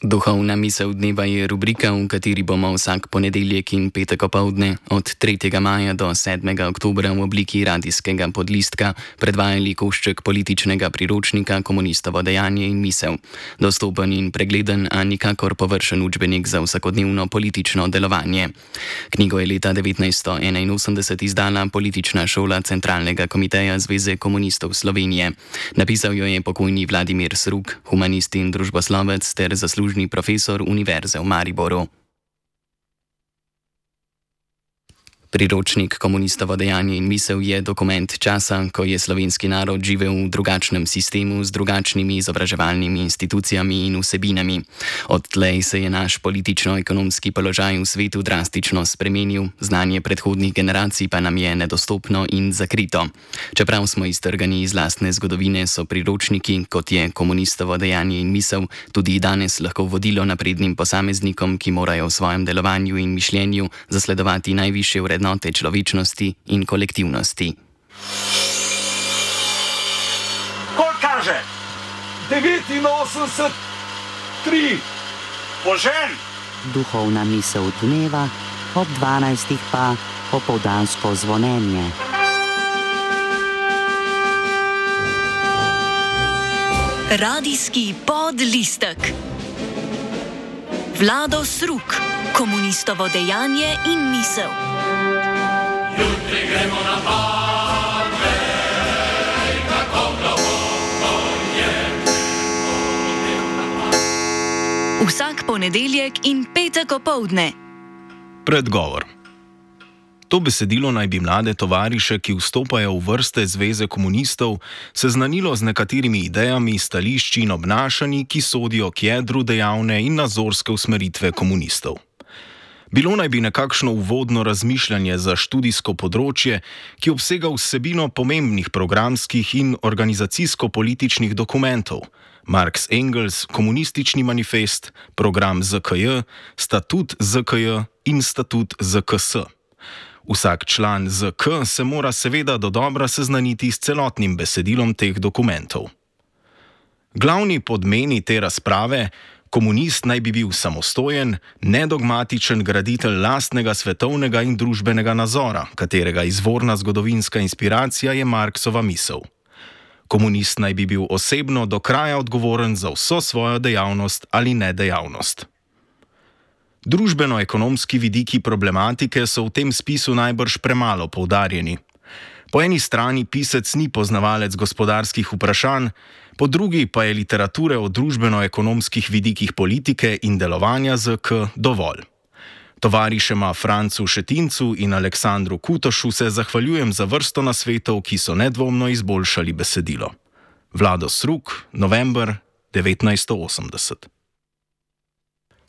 Duhovna misel dneva je rubrika, v kateri bomo vsak ponedeljek in petek opoldne od 3. maja do 7. oktobra v obliki radijskega podlistka predvajali košček političnega priročnika Komunistovo dejanje in misel. Dostopen in pregleden, a nikakor površen učbenik za vsakodnevno politično delovanje. Knjigo je leta 1981 izdala Politična šola Centralnega komiteja Zveze komunistov Slovenije. Napisal jo je pokojni Vladimir Sruk, humanist in družboslovec ter zaslužni profesor Univerze v Mariboru. Priročnik Komunistovo dejanje in misel je dokument časa, ko je slovenski narod živel v drugačnem sistemu z drugačnimi izobraževalnimi institucijami in vsebinami. Odtlej se je naš politično-ekonomski položaj v svetu drastično spremenil, znanje predhodnih generacij pa nam je nedostopno in zakrito. Čeprav smo iztrgani iz lastne zgodovine, so priročniki, kot je Komunistovo dejanje in misel, tudi danes lahko vodilo naprednim posameznikom, ki morajo v svojem delovanju in mišljenju zasledovati najvišje vrednote človečnosti in kolektivnosti. Koliko kaže? 89,3. Požen! Duhovna misel dneva, ob 12. pa popoldansko zvonjenje. Radijski podlistek. Vlado Sruk, Komunistovo dejanje in misel. Jutri gremo na Badej, kako globoko je. Vsak ponedeljek in petek opoldne. Predgovor. To besedilo naj bi mlade tovariše, ki vstopajo v vrste Zveze komunistov, seznanilo z nekaterimi idejami, stališči in obnašanji, ki sodijo k jedru dejavne in nazorske usmeritve komunistov. Bilo naj bi nekakšno uvodno razmišljanje za študijsko področje, ki obsega vsebino pomembnih programskih in organizacijsko-političnih dokumentov, Marx Engels, komunistični manifest, program ZKJ, statut ZKJ in statut ZKS. Vsak član ZK se mora seveda dodobra seznaniti s celotnim besedilom teh dokumentov. Glavni podmeni te razprave: komunist naj bi bil samostojen, nedogmatičen graditelj lastnega svetovnega in družbenega nazora, katerega izvorna zgodovinska inspiracija je Marksova misel. Komunist naj bi bil osebno do kraja odgovoren za vso svojo dejavnost ali nedejavnost. Družbeno-ekonomski vidiki problematike so v tem spisu najbrž premalo poudarjeni. Po eni strani pisec ni poznavalec gospodarskih vprašanj, po drugi pa je literature o družbeno-ekonomskih vidikih politike in delovanja ZK dovolj. Tovarišema Francu Šetincu in Aleksandru Kutošu se zahvaljujem za vrsto nasvetov, ki so nedvomno izboljšali besedilo. Vlado Sruk, november 1980.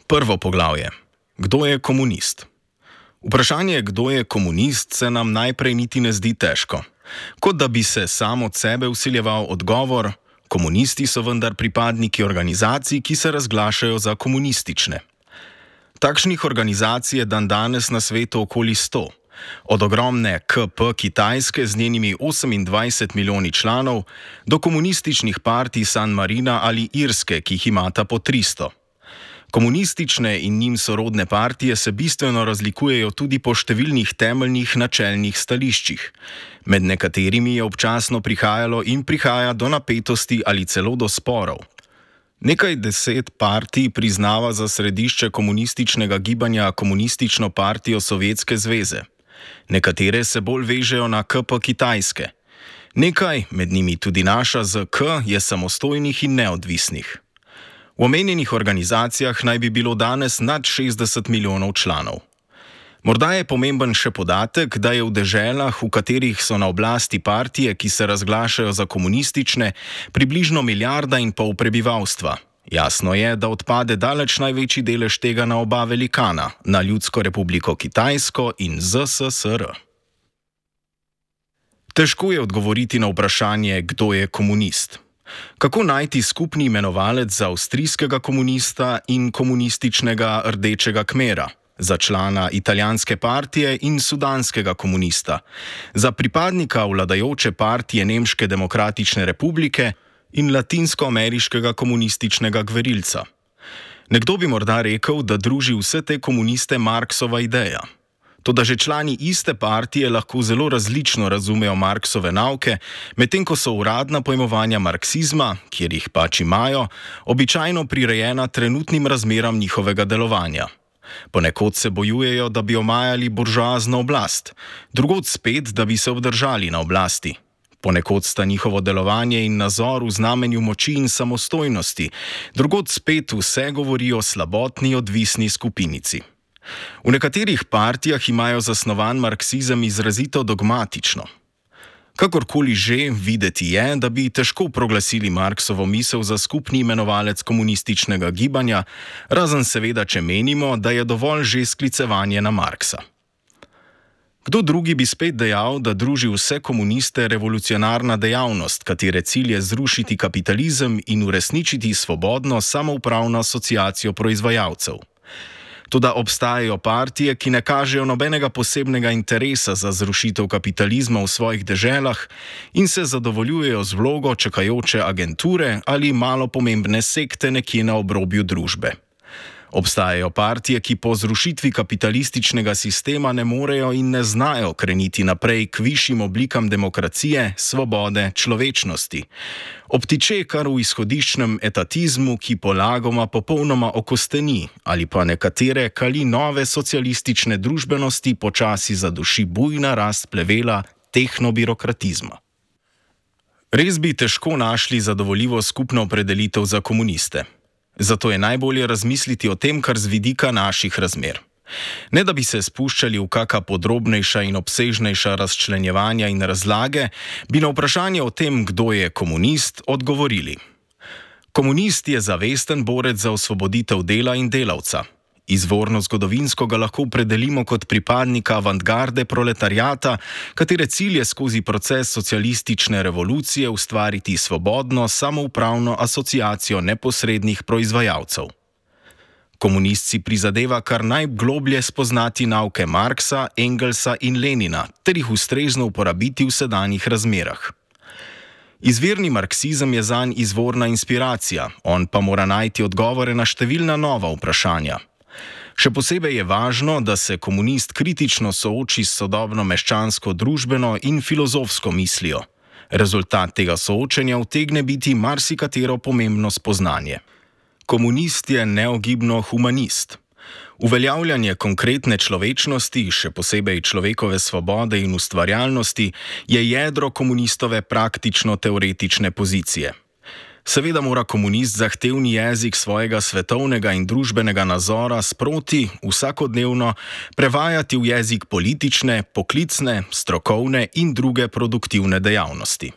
Prvo poglavje. Kdo je komunist? Vprašanje, kdo je komunist, se nam najprej niti ne zdi težko. Kot da bi se sam od sebe vsiljeval odgovor: komunisti so vendar pripadniki organizacij, ki se razglašajo za komunistične. Takšnih organizacij je dandanes na svetu okoli 100. Od ogromne KP Kitajske z njenimi 28 milijoni članov do komunističnih partij San Marina ali Irske, ki jih imata po 300. Komunistične in njim sorodne partije se bistveno razlikujejo tudi po številnih temeljnih načelnih stališčih. Med nekaterimi je občasno prihajalo in prihaja do napetosti ali celo do sporov. Nekaj 10 partij priznava za središče komunističnega gibanja Komunistično partijo Sovjetske zveze. Nekatere se bolj vežejo na KP Kitajske. Nekaj, med njimi tudi naša ZK, je samostojnih in neodvisnih. V omenjenih organizacijah naj bi bilo danes nad 60 milijonov članov. Morda je pomemben še podatek, da je v deželah, v katerih so na oblasti partije, ki se razglašajo za komunistične, približno 1,5 milijarde prebivalstva. Jasno je, da odpade daleč največji delež tega na oba velikana, na Ljudsko republiko Kitajsko in ZSSR. Težko je odgovoriti na vprašanje, kdo je komunist. Kako najti skupni imenovalec za avstrijskega komunista in komunističnega rdečega kmera, za člana italijanske partije in sudanskega komunista, za pripadnika vladajoče partije Nemške demokratične republike in latinskoameriškega komunističnega gverilca? Nekdo bi morda rekel, da druži vse te komuniste Marksova ideja. Toda že člani iste partije lahko zelo različno razumejo Marksove nauke, medtem ko so uradna pojmovanja marksizma, kjer jih pač imajo, običajno prirejena trenutnim razmeram njihovega delovanja. Ponekod se bojujejo, da bi omajali buržoazno oblast, drugod spet, da bi se obdržali na oblasti. Ponekod sta njihovo delovanje in nazor v znamenju moči in samostojnosti, drugod spet vse govori o slabotni odvisni skupinici. V nekaterih partijah imajo zasnovan marksizem izrazito dogmatično. Kakorkoli že, videti je, da bi težko proglasili Marksovo misel za skupni imenovalec komunističnega gibanja, razen seveda, če menimo, da je dovolj že sklicevanje na Marksa. Kdo drugi bi spet dejal, da druži vse komuniste revolucionarna dejavnost, katere cilj je zrušiti kapitalizem in uresničiti svobodno samoupravno asociacijo proizvajalcev. Toda obstajajo partije, ki ne kažejo nobenega posebnega interesa za zrušitev kapitalizma v svojih deželah in se zadovoljujejo z vlogo čakajoče agenture ali malo pomembne sekte nekje na obrobju družbe. Obstajajo partije, ki po zrušitvi kapitalističnega sistema ne morejo in ne znajo kreniti naprej k višjim oblikam demokracije, svobode, človečnosti. Obtiče kar v izhodiščnem etatizmu, ki polagoma popolnoma okosteni ali pa nekatere kali nove socialistične družbenosti počasi zaduši bujna rast plevela tehnobirokratizma. Res bi težko našli zadovoljivo skupno opredelitev za komuniste. Zato je najbolje razmisliti o tem, kar z vidika naših razmer. Ne da bi se spuščali v kaka podrobnejša in obsežnejša razčlenjevanja in razlage, bi na vprašanje o tem, kdo je komunist, odgovorili. Komunist je zavesten borec za osvoboditev dela in delavca. Izvorno zgodovinsko ga lahko opredelimo kot pripadnika avantgarde proletariata, katere cilj je skozi proces socialistične revolucije ustvariti svobodno, samoupravno asociacijo neposrednih proizvajalcev. Komunist si prizadeva kar najgloblje spoznati nauke Marksa, Engelsa in Lenina, ter jih ustrezno uporabiti v sedanjih razmerah. Izvirni marksizem je zanj izvorna inspiracija, on pa mora najti odgovore na številna nova vprašanja. Še posebej je važno, da se komunist kritično sooči s sodobno meščansko družbeno in filozofsko mislijo. Rezultat tega soočenja utegne biti marsikatero pomembno spoznanje. Komunist je neogibno humanist. Uveljavljanje konkretne človečnosti, še posebej človekove svobode in ustvarjalnosti, je jedro komunistove praktično-teoretične pozicije. Seveda mora komunist zahtevni jezik svojega svetovnega in družbenega nazora sproti, vsakodnevno, prevajati v jezik politične, poklicne, strokovne in druge produktivne dejavnosti.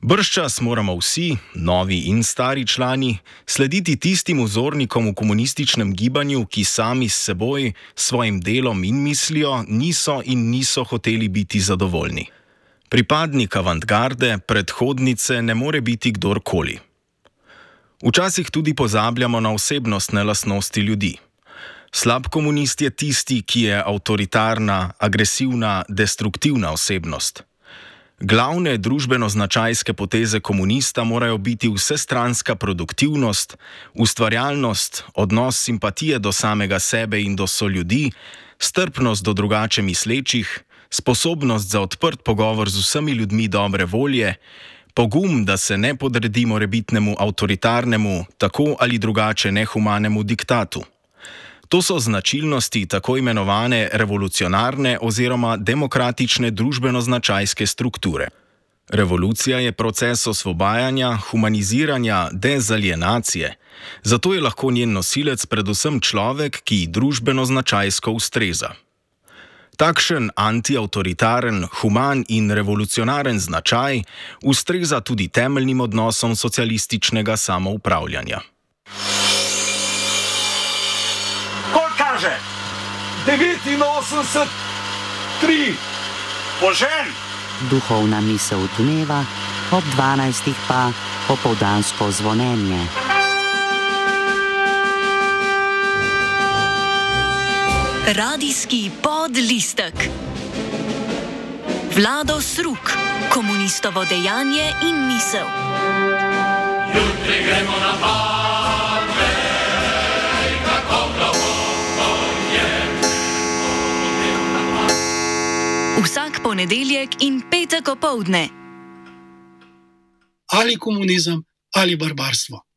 Bržčas moramo vsi, novi in stari člani, slediti tistim vzornikom v komunističnem gibanju, ki sami s seboj, svojim delom in mislijo niso hoteli biti zadovoljni. Pripadnik avantgarde, predhodnice ne more biti kdorkoli. Včasih tudi pozabljamo na osebnostne lastnosti ljudi. Slab komunist je tisti, ki je avtoritarna, agresivna, destruktivna osebnost. Glavne družbeno-značajske poteze komunista morajo biti vsestranska produktivnost, ustvarjalnost, odnos simpatije do samega sebe in do soljudi, strpnost do drugače mislečih, sposobnost za odprt pogovor z vsemi ljudmi dobre volje, pogum, da se ne podredi morebitnemu avtoritarnemu, tako ali drugače nehumanemu diktatu. To so značilnosti tako imenovane revolucionarne oziroma demokratične družbeno-značajske strukture. Revolucija je proces osvobajanja, humaniziranja, dezalienacije, zato je lahko njen nosilec predvsem človek, ki družbeno-značajsko ustreza. Takšen antiavtoritaren, human in revolucionaren značaj ustreza tudi temeljnim odnosom socialističnega samoupravljanja. Koliko kaže? 89, 3. Požen! Duhovna misel dneva, ob 12. pa popoldansko zvonjenje. Radijski podlistek. Vlado Sruk, komunistovo dejanje in misel. Jutri gremo na pamet. Vsak ponedeljek in petek opoldne. Ali komunizem ali barbarstvo.